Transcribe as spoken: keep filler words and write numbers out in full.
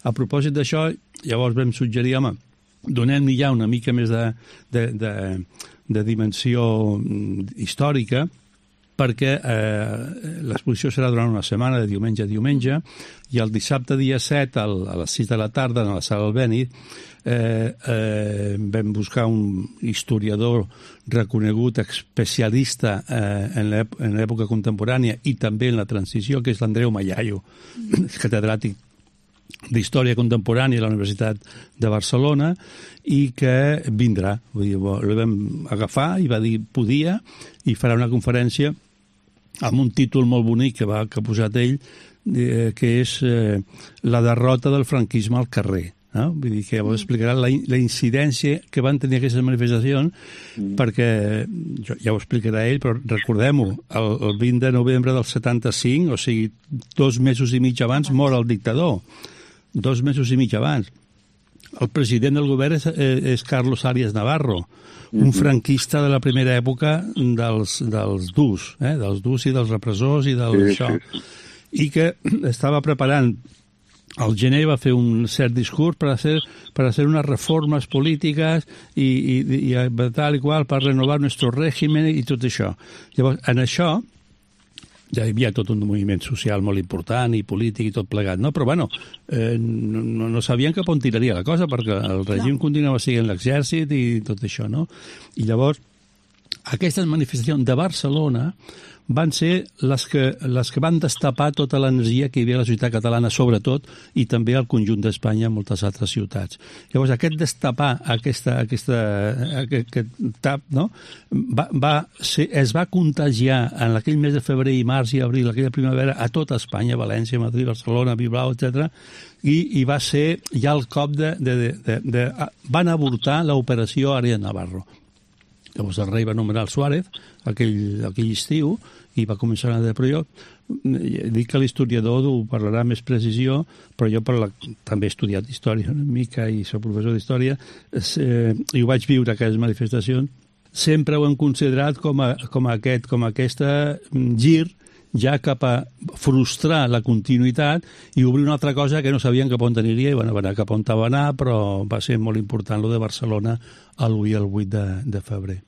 A propòsit d'això, llavors vam suggerir, home, donem-li ja una mica més de, de, de, de dimensió històrica, perquè eh, l'exposició serà durant una setmana, de diumenge a diumenge, i el dissabte dia set, al, a les sis de la tarda, a la sala Albéniz, eh, eh, vam buscar un historiador reconegut, especialista eh, en l'època contemporània i també en la transició, que és l'Andreu Mallaio, mm. catedràtic d'Història Contemporània a la Universitat de Barcelona, i que vindrà. Vull dir, el vam agafar i va dir podia, i farà una conferència amb un títol molt bonic que, va, que ha posat ell, eh, que és eh, la derrota del franquisme al carrer. No? Vull dir que llavors explicarà la, la incidència que van tenir aquestes manifestacions, mm. perquè, jo, ja ho explicarà ell, però recordem-ho, el, el vint de novembre del setanta-cinc, o sigui, dos mesos i mig abans, mor el dictador. Dos mesos i mig abans. El president del govern és, és Carlos Arias Navarro, un franquista de la primera època dels, dels durs, eh? dels durs i dels repressors i del sí, això. Sí. I que estava preparant, al gener va fer un cert discurs per hacer, per hacer unes reformes polítiques i, i, i tal i qual, per renovar nostre règim i tot això. Llavors, en això, ja hi havia tot un moviment social molt important i polític i tot plegat, no? Però, bueno, eh, no, no sabien cap on tiraria la cosa, perquè el règim no. continuava sent l'exèrcit i tot això, no? I llavors, aquestes manifestacions de Barcelona van ser les que, les que van destapar tota l'energia que hi havia a la societat catalana, sobretot, i també al conjunt d'Espanya en moltes altres ciutats. Llavors, aquest destapar, aquesta, aquesta, aquest, aquest tap, no? va, va ser, es va contagiar en aquell mes de febrer i març i abril, aquella primavera, a tota Espanya, València, Madrid, Barcelona, Bilbao, etcètera, i, i va ser ja el cop de... de, de, de, de van avortar l'operació Arias Navarro. Llavors el rei va nomenar el Suárez aquell, aquell estiu i va començar a... Però jo dic que l'historiador ho parlarà amb més precisió, però jo per la, també he estudiat història una mica i soc professor d'història eh, i ho vaig viure, aquestes manifestacions. Sempre ho hem considerat com, a, com, a aquest, com a aquesta gir ja cap a frustrar la continuïtat i obrir una altra cosa que no sabien cap on aniria i bueno, va anar cap on va anar, però va ser molt important lo de Barcelona l'u i el vuit de, de febrer.